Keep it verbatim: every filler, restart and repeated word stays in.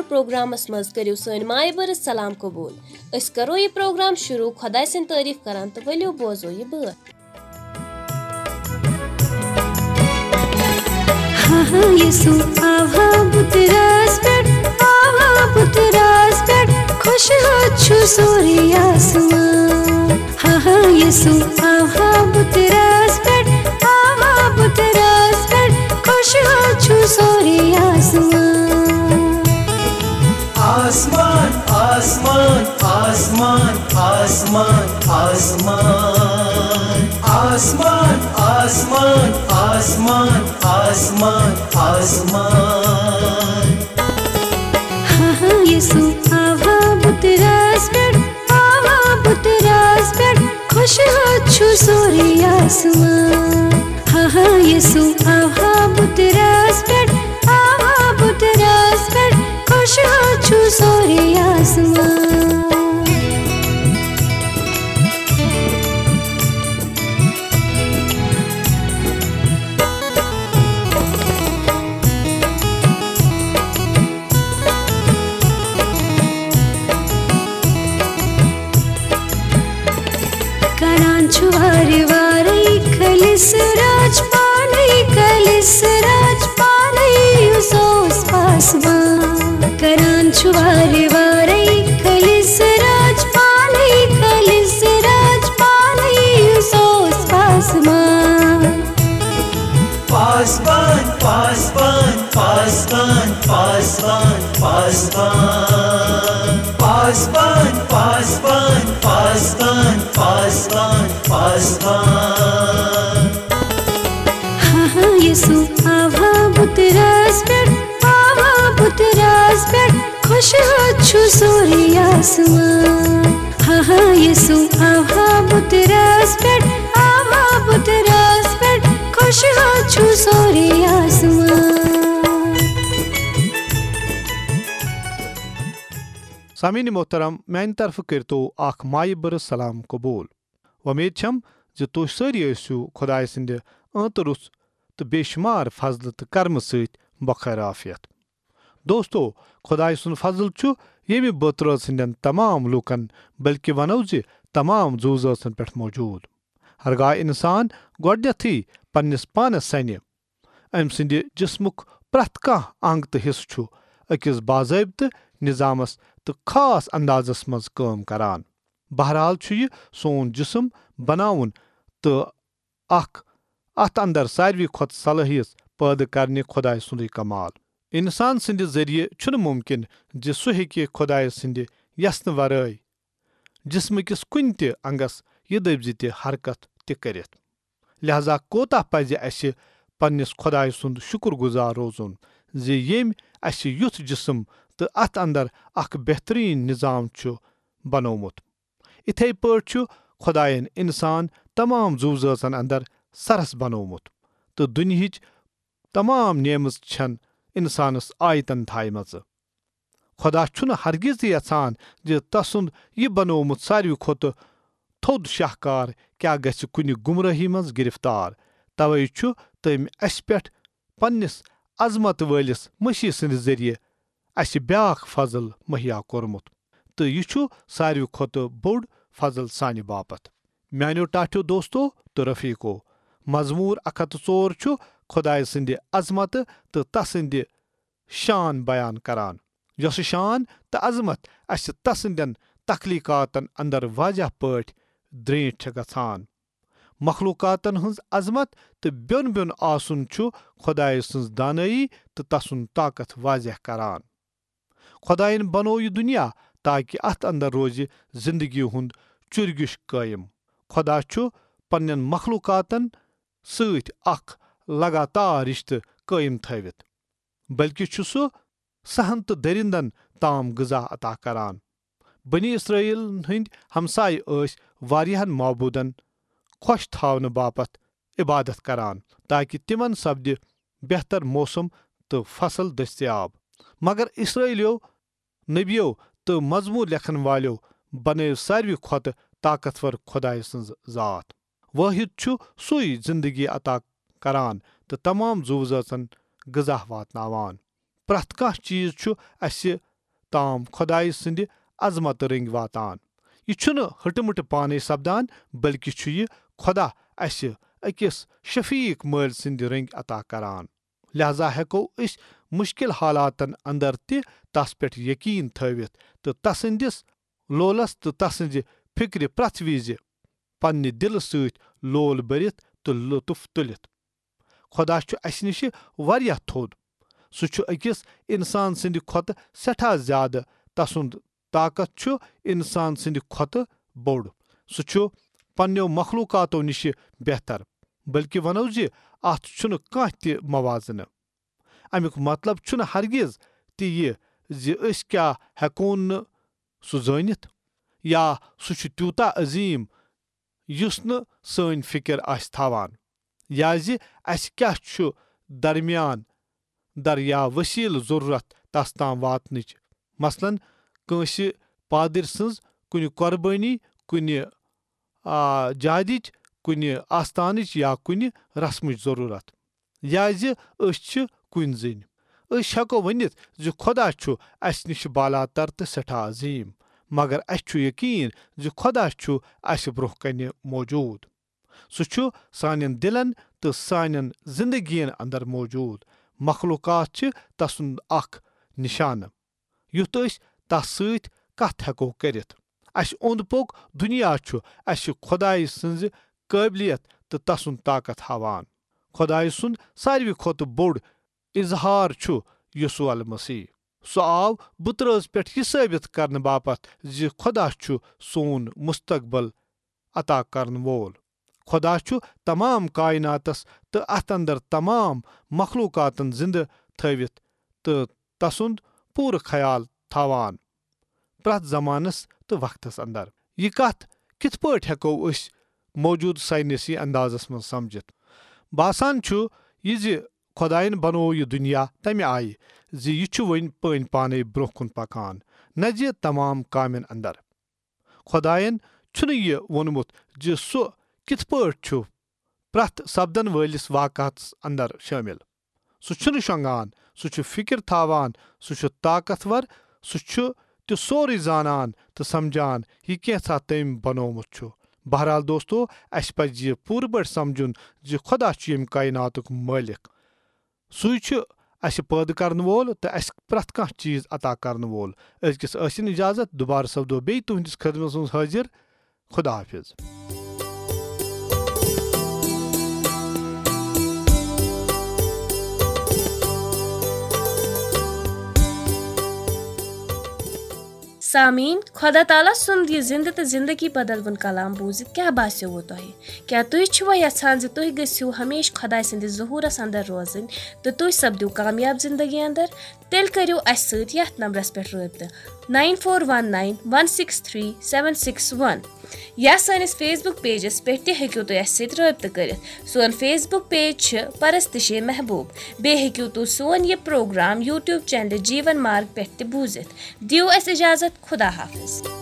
Programmes منٛز کٔرِو سٲنۍ مایہِ بٔرٕژ سلام قبوٗل۔ أسۍ کرو یہِ پروگرام شروع خۄداے سٕنٛدۍ تعریٖف کران تہٕ ؤلِو بوزو یہِ بٲتھ۔ ہاں ہاں، یسوع آو ہا بُتہٕ راز پٮ۪ٹھ، آو ہا بُتہٕ راز پٮ۪ٹھ، خۄش ہو چھُ سورُے آسمان۔ ہاں ہاں، یسوع آو ہا بُتہٕ راز پٮ۪ٹھ، آو ہا بُتہٕ راز پٮ۪ٹھ، خۄش ہو چھُ سورُے آسمان۔ آسمان، آسمان، آسمان، آسمان، آسمان۔ آسمان، آسمان، آسمان، آسمان، آسمان۔ ہاں ہاں، یسوع آو ہا بُتہٕ راز پٮ۪ٹھ، آو ہا بُتہٕ راز پٮ۪ٹھ، خۄش ہو چھُ سورُے آسمان۔ ہاں ہاں، یسوع آو ہا بُتہٕ راز پٮ۪ٹھ، آو ہا بُتہٕ راز پٮ۪ٹھ، خۄش ہو چھُ سورُے آسمان۔ کران چھُ وارٕ وارَے خٲلِص راج پانے، خٲلِص راج پانے یُس اوس پاسبان۔ کران چھُ وارٕ وارَے خٲلِص راج پانے، خٲلِص راج پانے یُس اوس پاسبان۔ پاسبان، پاسبان، پاسبان، پاسبان، پاسبان۔ پاسبان، پاسبان، پاسبان، پاسبان، پاسبان۔ ہاں ہاں، یسوع آو ہا بُتہٕ راز پٮ۪ٹھ، آو ہا بُتہٕ راز پٮ۪ٹھ، خۄش ہو چھُ سورُے آسمان۔ ہاں ہاں، یسوع آو ہا بُتہٕ راز پٮ۪ٹھ، آو ہا بُتہٕ راز پٮ۪ٹھ، خۄش ہو چھُ سورُے آسمان۔ سامعین محترم، میانہِ طرفہٕ کٔرتو اکھ مایہِ بٔرٕ سلام قبول۔ وۄمید چھم زِ تُہۍ سٲری ٲسِو خۄدایہِ سٕنٛدِ ٲنتہٕ رُس تہٕ بے شمار فضلہٕ تہٕ کرمہٕ سۭتۍ بخیر عافیت۔ دوستو، خۄدایہِ سُنٛد فضل چھُ ییٚمہِ بٲترٲژ ہٕنٛدٮ۪ن تمام لوٗکن، بلکہِ ونو زِ تمام زُو زٲژن پٮ۪ٹھ موجود۔ ہرگاہ انسان گۄڈنیتھٕے پننِس پانس سنہِ، أمۍ سٕنٛدِ جسمُک پرٛٮ۪تھ کانٛہہ انگ تہٕ حصہٕ چھُ أکِس باضٲبطہٕ نظامس تہٕ خاص اندازس منٛز کٲم کران۔ بہرحال چھُ یہِ سون جسم بناوُن تہٕ اکھ اتھ اندر ساروی کھۄتہٕ صلٲحیت پٲدٕ کرنہِ خۄدایہِ سُنٛدُے کمال۔ انسان سٕنٛدِ ذٔریعہٕ چھُنہٕ مُمکِن زِ سُہ ہیٚکہِ خۄدایہِ سٕنٛدِ یژھنہٕ ورٲے جسمہٕ کِس کُنہِ تہِ انگس یہِ دٔپۍ زِ تہِ حرکت تہِ کٔرِتھ۔ لہذا کوتاہ پزِ اسہِ پننِس خۄدایہِ سُنٛد شُکر گُزار روزُن زِ ییٚمۍ اسہِ یُتھ جسم تہٕ اتھ اندر اکھ بہترین نظام چھُ بنوومُت۔ اِتھے پٲٹھۍ چھُ خۄدایَن انسان تمام زُو زٲژن اندر سرس بنوومُت تہٕ دُنیہٕچ تمام نعمژ چھن انسانس آیتن تھایمژٕ۔ خۄدا چھُنہٕ ہرگز تہِ یژھان زِ تسُنٛد یہِ بنوومُت ساروی کھۄتہٕ تھوٚد شاہکار کیٛاہ گژھِ کُنہِ گمرٲہی منٛز گرفتار۔ توے چھُ تٔمۍ اسہِ پٮ۪ٹھ پننِس عظمت وٲلِس مسیح سٕنٛدِ ذٔریعہٕ اسہِ بیاکھ فضل مہیا کوٚرمُت، تہٕ یہِ چھُ ساروی کھۄتہٕ بوٚڑ فضل سانہِ باپتھ۔ میانیو ٹاٹھیو دوستو تہٕ رفیقو، مزمور اکھ ہتھ تہٕ ژور چھُ خۄدایہِ سٕنٛدِ عظمتہٕ تہٕ تسٕنٛدِ شان بیان کران، یۄسہٕ شان تہٕ عظمت اسہِ تسٕنٛدٮ۪ن تخلیقاتن اندر واضح پٲٹھۍ درینٹھ چھےٚ گژھان۔ مخلوقاتن ہٕنٛز عظمت تہٕ بیوٚن بیوٚن آسُن چھُ خۄدایہِ سٕنٛز دانٲیی تہٕ تسُنٛد طاقت واضح کران۔ خۄدایَن بنوو یہِ دُنیا تاکہِ اتھ اندر روزِ زندگی ہُنٛد چُرگیُش قٲیِم۔ خۄدا چھُ پننٮ۪ن مخلوقاتن سۭتۍ اکھ لگاتار رشتہٕ قٲیِم تھٲوِتھ، بلکہِ چھُ سُہ سہن تہٕ درندن تام غذا عطا کران۔ بنی اسرائیل ہٕنٛدۍ ہمسایہِ ٲسۍ واریاہن معبودن خۄش تھاونہٕ باپتھ عبادت کران، تاکہِ تِمن سپدِ بہتر موسم تہٕ فصل دٔستیاب۔ مگر اسرائیلیو نبیو تہٕ مزمور لیکھن والیو بنٲو ساروی کھۄتہٕ طاقتور خۄدایہِ سٕنٛز ذات۔ وٲحد چھُ سُے زندگی عطا کران تہٕ تمام زُو زٲژن غذا واتناوان۔ پرٛٮ۪تھ کانٛہہ چیٖز چھُ اسہِ تام خۄدایہِ سٕنٛدِ عظمتہٕ رٔنٛگۍ واتان۔ یہِ چھُنہٕ ہٕٹہٕ مٕٹہٕ پانے سپدان، بلکہِ چھُ یہِ خۄدا اسہِ أکِس شفیق مٲلۍ سٕنٛدِ رٔنٛگۍ عطا کران۔ لہذا ہیٚکو أسۍ مُشکِل حالاتن اندر تہِ تس پٮ۪ٹھ یقین تھٲوِتھ تہٕ تسٕنٛدِس لولس تہٕ تسٕنٛزِ فِکرِ پرٛٮ۪تھ وِزِ پننہِ دِلہٕ سۭتۍ لول بٔرِتھ تہٕ لطف تُلِتھ۔ خۄدا چھُ اسہِ نِش واریاہ تھوٚد۔ سُہ چھُ أکِس انسان سٕنٛدِ کھۄتہٕ سٮ۪ٹھاہ زیادٕ۔ تسُنٛد طاقت چھُ انسان سٕنٛدِ کھۄتہٕ بوٚڑ۔ سُہ چھُ پننیو مخلوقاتو نِش بہتر، بلکہِ ونو زِ اتھ چھُنہٕ کانٛہہ تہِ موازنہٕ۔ امیُک مطلب چھُنہٕ ہرگز تہِ یہِ زِ أسۍ کیٛاہ ہیٚکون نہٕ سُہ زٲنِتھ، یا سُہ چھُ تیوٗتاہ عظیٖم یُس نہٕ سٲنۍ فِکر آسہِ تھاوان، یا زِ اسہِ کیٛاہ چھُ درمیان در یا وسیلہٕ ضرورت تس تام واتنٕچ۔ مثلاً، کٲنٛسہِ پادٕرۍ سٕنٛز کُنہِ قۄربٲنی، کُنہِ، آ، جادِچ، کُنہِ آستانٕچ یا کُنہِ رسمٕچ ضرورت، یا زِ أسۍ چھِ کُنہِ زٔنۍ۔ أسۍ ہیٚکو ؤنِتھ زِ خۄدا چھُ اسہِ نِش بالاتر تہٕ سٮ۪ٹھاہ عظیٖم، مگر اسہِ چھُ یقین زِ خۄدا چھُ اسہِ برٛونٛہہ کنہِ موجود۔ سُہ چھُ سانٮ۪ن دِلن تہٕ سانٮ۪ن زندگین اندر موجود۔ مخلوقات چھِ تسُنٛد اکھ نشانہٕ، یُتھ أسۍ تس سۭتۍ کتھ ہیٚکو کٔرِتھ۔ اسہِ اوٚنٛد پوٚک دُنیا چھُ اسہِ خۄدایہِ سٕنٛزِ قٲبلیت تہٕ تسُنٛد طاقت ہاوان۔ خۄدایہِ سُنٛد ساروی کھۄتہٕ بوٚڑ اظہار چھُ یسوع المسیح۔ سُہ آو بُترٲژ پٮ۪ٹھ یہِ ثٲبت کرنہٕ باپتھ زِ خۄدا چھُ سون مستقبل عطا کرن وول۔ خۄدا چھُ تمام کائناتس تہٕ اتھ اندر تمام مخلوقاتن زندٕ تھٲوِتھ تہٕ تسُنٛد پوٗرٕ خیال تھاوان پرٛٮ۪تھ زمانس تہٕ وقتس اندر۔ یہِ کتھ کِتھ پٲٹھۍ ہیٚکو أسۍ موجودٕ ساینسی اندازس منٛز سمجھِتھ؟ باسان چھُ یہِ زِ خۄداین بنوو یہِ دُنیا تمہِ آیہِ زِ یہِ چھُ وۄنۍ پٲنۍ پانے برٛونٛہہ کُن پکان، نہ زِ تمام کامٮ۪ن اندر۔ خۄداین چھُنہٕ یہِ ووٚنمُت زِ سُہ کِتھ پٲٹھۍ چھُ پرٛٮ۪تھ سپدن وٲلِس واقعس اندر شٲمِل۔ سُہ چھُنہٕ شۄنٛگان، سُہ چھُ فِکر تھاوان، سُہ چھُ طاقتور، سُہ چھُ تہِ سورُے زانان تہٕ سمجھان یہِ کینٛژھا تٔمۍ بنوومُت چھُ۔ بہرحال دوستو، اسہِ پزِ یہِ پوٗرٕ پٲٹھۍ سمجھُن زِ خۄدا چھُ ییٚمہِ کائناتُک مٲلِک۔ سُے چھُ اسہِ پٲدٕ کرن وول تہٕ اسہِ پرٛٮ۪تھ کانٛہہ چیٖز عطا کرن وول۔ أزکِس ٲسِن اجازت، دُبارٕ سپدو بیٚیہِ تُہنٛدِس خدمتس منٛز حٲضِر۔ خدا حافظ۔ سامعیٖن، خۄدا تعالیٰ سُنٛد یہِ زِنٛدٕ تہٕ زِنٛدگی بدلوُن کلام بوٗزِتھ کیٛاہ باسیووٕ تۄہہِ؟ کیٛاہ تُہۍ چھِوا یژھان زِ تُہۍ گٔژھِو ہمیشہٕ خۄداے سٕنٛدِس ظہوٗرس اندر روزٕنۍ تہٕ تُہۍ سپدِو کامیاب زِنٛدگی اندر؟ تیٚلہِ کٔرِو اَسہِ سۭتۍ یَتھ نمبرَس پٮ۪ٹھ رٲبطہٕ، nine four one nine one six three seven six one، یا سٲنِس Facebook pageس پٮ۪ٹھ تہِ ہیٚکِو تُہۍ اَسہِ سۭتۍ رٲبطہٕ کٔرِتھ۔ سون Facebook page چھِ پرستشِ محبوب۔ بیٚیہِ ہیٚکِو تُہۍ سون یہِ پروگرام YouTube channel جیٖون مارگ پٮ۪ٹھ تہِ بوٗزِتھ۔ دِیِو اَسہِ اِجازت، خدا حافظ۔